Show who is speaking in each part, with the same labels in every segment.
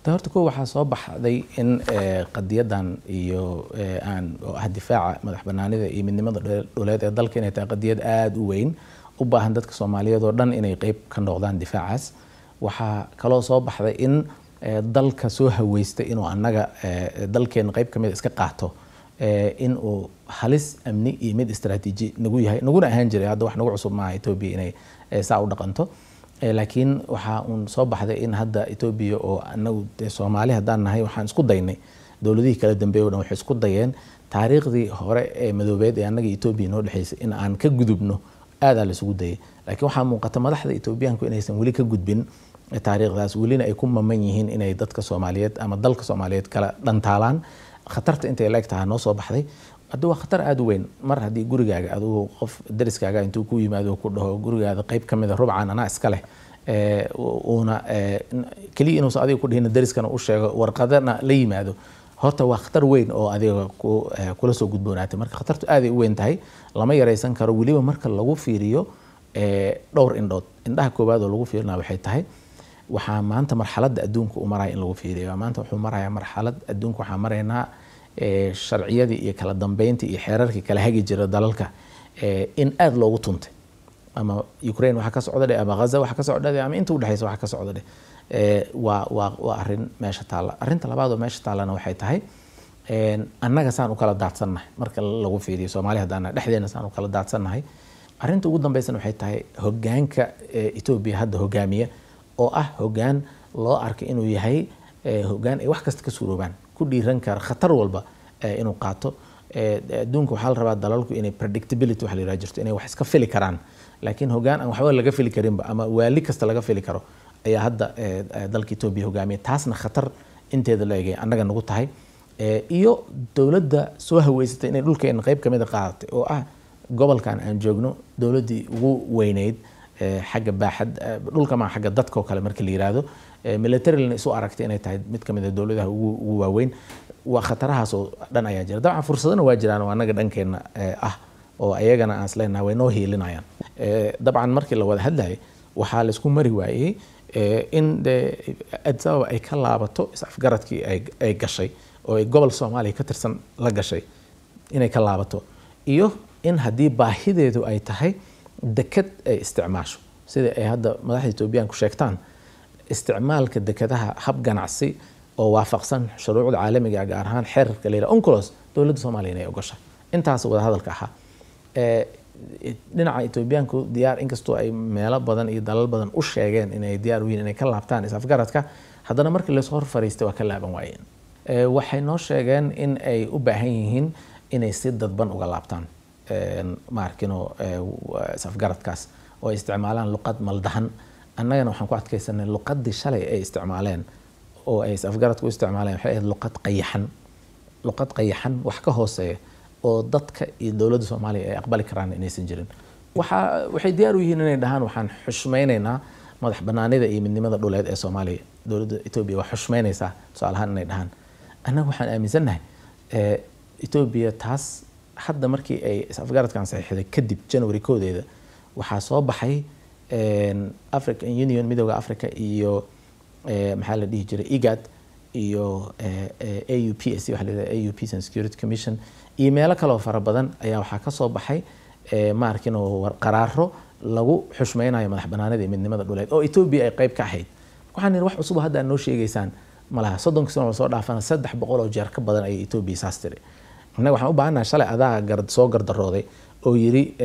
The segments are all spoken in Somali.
Speaker 1: Ta horta ko waxaa soo baxday in qadiyadan iyo aan oo ah difaaca madax banaanida iyo midnimada dhuleed ee dalka inay tahay qadiyad aada u weyn, u baahan dadka Soomaaliyeed oo dhan inay qeyb ka noqdaan difaacaas. Waxaa kaloo soo baxday in dalka soo haweystay inuu annaga dalkeena qeyb kamid iska qaato in uu halis amni iyo mid istaraatiiji nagu yahay, naguna ahaan jiray. Hadda wax nagu cusub maaha Etoobiya inay saa u dhaqanto, laakiin waxaa uun soo baxday in hadda Etoobiya oo anagu dee Soomaali haddaan nahay waxaan isku daynay, dowladihii kala dambeeyay o dhan waxay isku dayeen taariikhdii hore ee madoobeed ee annaga Etoobiya noo dhexeysay in aan ka gudubno, aadaa la isugu dayay. Laakiin waxaa muuqata madaxda Etoobiyaanku inaysan weli ka gudbin taariikhdaas, welina ay ku maman yihiin inay dadka Soomaaliyeed ama dalka Soomaaliyeed kala dhantaalaan. Khatarta intay la eg tahay noo soo baxday. Hadda waa khatar aada u weyn mar haddii gurigaaga adigu qof dariskaaga intuu ku yimaado ku dhaho gurigaada qeyb ka mida rubcan anaa iska leh, uuna keliya inuusan adiga ku dhihin, dariskana u sheego, warqadana la yimaado, horta waa khatar weyn oo adiga kula soo gudboonaatay. Marka khatartu aaday u weyn tahay, lama yaraysan karo, weliba marka lagu fiiriyo dhowr indhood. Indhaha koowaad oo lagu fiirinaya waxay tahay waxaa maanta marxaladda adduunka u maraya in lagu fiiriyo. Maanta wuxuu marayaa marxalad adduunka, waxaa maraynaa sharciyadii iyo kala dambeyntii iyo xeerarkii kala hagi jira dalalka in aada loogu tuntay, ama Ukraine waxa ka socda dheh, ama Gaza waxa ka socda dheh, ama inta udhexeysa waxa ka socda dheh. Waa arrin meesha taalla. Arrinta labaad oo meesha taallana waxay tahay annaga saan u kala daadsannahay marka lagu fiiriyo Soomaali haddaan dhexdeena saan u kala daadsannahay. Arrinta ugu dambeysana waxay tahay hogaanka Etoobiya hadda hogaamiya oo ah hogaan loo arkay inuu yahay hogaan ay wax kasta ka suuroobaan, ku dhiiran kara khatar walba inuu qaato. Adduunka waxaa la rabaa dalalku inay predictability waxa la yidhaha jirto, inay wax iska fili karaan, laakiin hogaan aan waxba laga fili karinba ama waali kasta laga fili karo ayaa hadda dalka Etoobiya hogaamiya. Taasna khatar inteeda la egay annaga nagu tahay, iyo dowladda soo haweysatay inay dhulkeena qayb kamid a qaadatay oo ah gobolkan aan joogno dowladdii ugu weyneyd xagga baaxad dhulka ma xagga dadka oo kale marka la yiraahdo, militarily isu aragtay inay tahay mid kamid a dowladaha ugu waaweyn. Waa khatarahaas oo dhan ayaa jira. Dabcan fursadana waa jiraan oo annaga dhankeenna ah oo ayagana aan isleenahay way noo hiilinayaan. Dabcan markii la wada hadlayay waxaa laisku mari waayey in de Addis Ababa ay ka laabato is-afgaradkii ay gashay oo ay gobol Soomaaliya ka tirsan la gashay inay ka laabato, iyo in haddii baahideedu ay tahay deked ay isticmaasho sida ay hadda madaxda Etoobiyaanku sheegtaan, isticmaalka dekadaha hab ganacsi oo waafaqsan shuruucda caalamiga, gaar ahaan xeerarka la yidhaha UNCLOS, dowladda Soomaaliya inay ogosha. Intaas wada hadalka ahaa. Dhinaca Etoobiyaanku diyaar, inkastoo ay meelo badan iyo dalal badan u sheegeen inay diyaar u yihiin inay ka laabtaan is-afgaradka, haddana markii laysoo hor fariistay waa ka laaban waayeen. Waxay noo sheegeen in ay u baahan yihiin inay si dadban uga laabtaan maarkino is-afgaradkaas oo ay isticmaalaan luqad maldahan. Annagana waxaan ku adkaysanay luqadii shalay ay isticmaaleen oo ay is-afgaradka u isticmaaleen waxay ahayd luqad qayaxan, luqad qayaxan wax ka hooseeya oo dadka iyo dowladda Soomaaliya ay aqbali karaan inaysan jirin. Waxay diyaar u yihiin inay dhahaan waxaan xushmaynaynaa madax banaanida iyo midnimada dhuleed ee Soomaaliya, dowladda Etoobiya waa xushmaynaysaa tusaale ahaan inay dhahaan. Annaga waxaan aaminsannahay Etoobiya taas hadda markii ay is-afgaradkan saxiixday kadib January 1deeda waxaa soo baxay African Union, Midooda Africa iyo maxaa la dhihi jiray IGAD iyo AUPSC, waxa la yidhahda AU Peace and Security Commission, iyo meelo kaloo fara badan ayaa waxaa ka soo baxay maarkin oo qaraaro lagu xushmeynayo madax banaanida iyo midnimada dhuleed oo Etoobiya ay qayb ka ahayd. Waxaan nidhi wax cusub hadda aad noo sheegaysaan malaha, 30-kii sano lasoo dhaafana 300 oo jeer ka badan ayay Etoobiya saas tiri. Innaga waxaan u baahannahay shalay adaa soo gardarooday oo yiri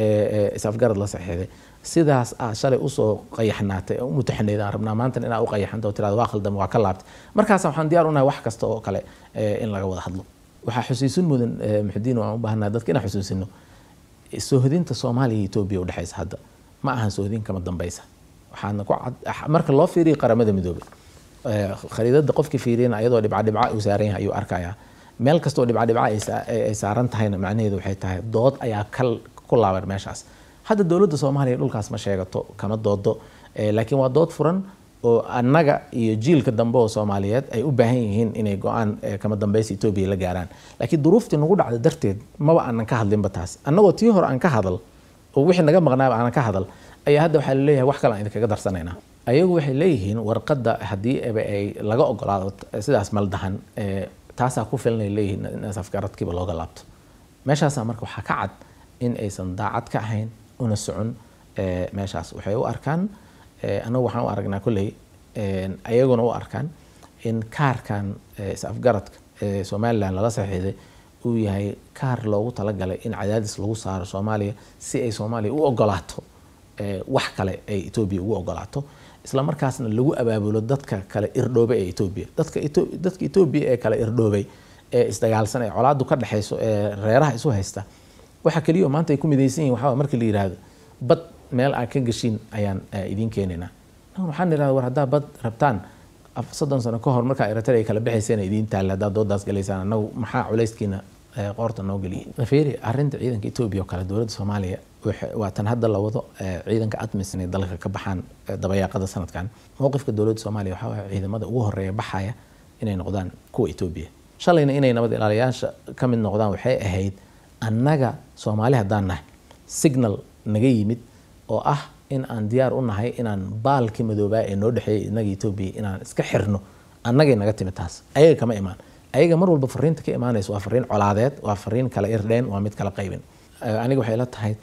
Speaker 1: is-afgarad la saxiixday, sidaas aad shalay usoo qayaxnaatay oo u mutaxanayd aan rabnaa maantana inaad u qayaxanto oo tirahdo waa khaldama, waa ka laabtay. Markaas waxaan diyaar unahay wax kasta oo kale in laga wada hadlo. Waxaa xusuusin mudan, Muxudiin, waan u baahannahay dadka inaan xusuusino soohodinta Soomaaliya iyo Etoobiya udhexaysa hadda ma ahan soohodin kama dambaysa. Waxaana ku cad marka loo fiiriyo Qaramada Midoobay khariidada, qofkii fiiriyana ayadoo dhibca dhibca uu saaran yahay ayuu arkayaa. Meel kasta oo dhibca dhibca ay saaran tahayna macnaheedu waxay tahay dood ayaa kal ku laaban meeshaas. Hadda dowladda Soomaaliya dhulkaas ma sheegato, kama doodo, laakiin waa dood furan oo annaga iyo jiilka dambe oo Soomaaliyeed ay u baahan yihiin inay go-aan kama dambaysa Etoobiya la gaaraan. Laakiin duruuftii nagu dhacda darteed maba aanan ka hadlinba taas. Annagoo tii hore aan ka hadal oo wixii naga maqnaaba aanan ka hadal ayaa hadda waxaa laleeyahay wax kale aan idinkaga darsanaynaa. Ayagu waxay leeyihiin warqadda haddii eba ay laga ogolaado sidaas maldahan, taasaa ku filanay leeyihiin in is-afgaradkiiba looga laabto meeshaasaa. Marka waxaa ka cad in aysan daacad ka ahayn una socon meeshaas. Waxay u arkaan, annagu waxaan u aragnaa kolley, ayaguna u arkaan in kaarkan is-afgaradka ee Somaliland lala saxiixday uu yahay kaar loogu talagalay in cadaadis lagu saaro Soomaaliya si ay Soomaaliya u ogolaato wax kale ay Etoobiya ugu ogolaato, isla markaasna lagu abaabulo dadka kale irdhoobay ee Etoobiya, dadka Etoobiya ee kale irdhoobay ee isdagaalsan ee colaadu ka dhexeyso ee reeraha isu haysta. Waxa keliya oo maanta ay ku midaysan yihin waxaa marka la yidhaahdo bad meel aad ka gashiin ayaan idiin keenaynaa. Waxaan idhahda, war haddaa bad rabtaan, 30 sano ka hor markaa Eritrea ay kala baxayseen idiin taalla, haddaad doodaas galaysaan, annagu maxaa culayskiina qoorta noo geliyay? Fiiri arrinta ciidanka Etoobiya oo kale, dowladda Soomaaliya waa tan hadda la wado ciidanka ATMIS inay dalka ka baxaan dabayaaqada sanadkan. Mowqifka dowladda Soomaaliya waxaa waaye ciidamada ugu horeeya baxaya inay noqdaan kuwa Etoobiya. Shalayna inay nabad ilaaliyaasha ka mid noqdaan waxay ahayd annaga Soomaali haddaan nahay signal naga yimid oo ah in aan diyaar u nahay inaan baalkii madoobaa ee noo dhexeeyay innaga Etoobiya inaan iska xirno. Annagay naga timid taas, ayaga kama imaan. Ayaga mar walba fariinta ka imaanaysa waa fariin colaadeed, waa fariin kala irdheen, waa mid kala qaybin. Aniga waxay la tahay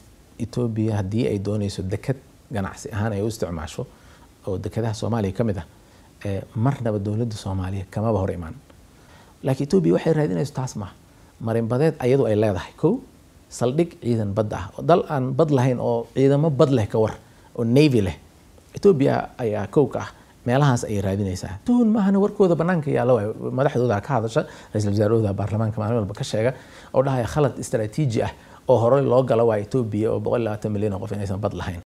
Speaker 1: Etoobiya haddii ay doonayso dekad ganacsi ahaan ay u isticmaasho oo dekadaha Soomaaliya ka mid ah, marnaba dowladda Soomaaliya kamaba hor imaan. Laakiin Etoobiya waxay raadinayso taas maaha. Marinbadeed ayadu ay leedahay, kow saldhig ciidan badda ah, dal aan bad lahayn oo ciidamo bad leh ka war oo navy leh Etoobiya ayaa kow ka ah, meelahaas ayay raadinaysaa. Tuhun maahana, warkooda banaanka yaalla waay. Madaxdooda ka hadasha, ra-iisul wasaarahooda baarlamaanka maalin walba ka sheega oo dhahaya khalad istaraatiiji ah oo horey loo gala waa Etoobiya oo 120 milyan oo qof inaysan bad lahayn.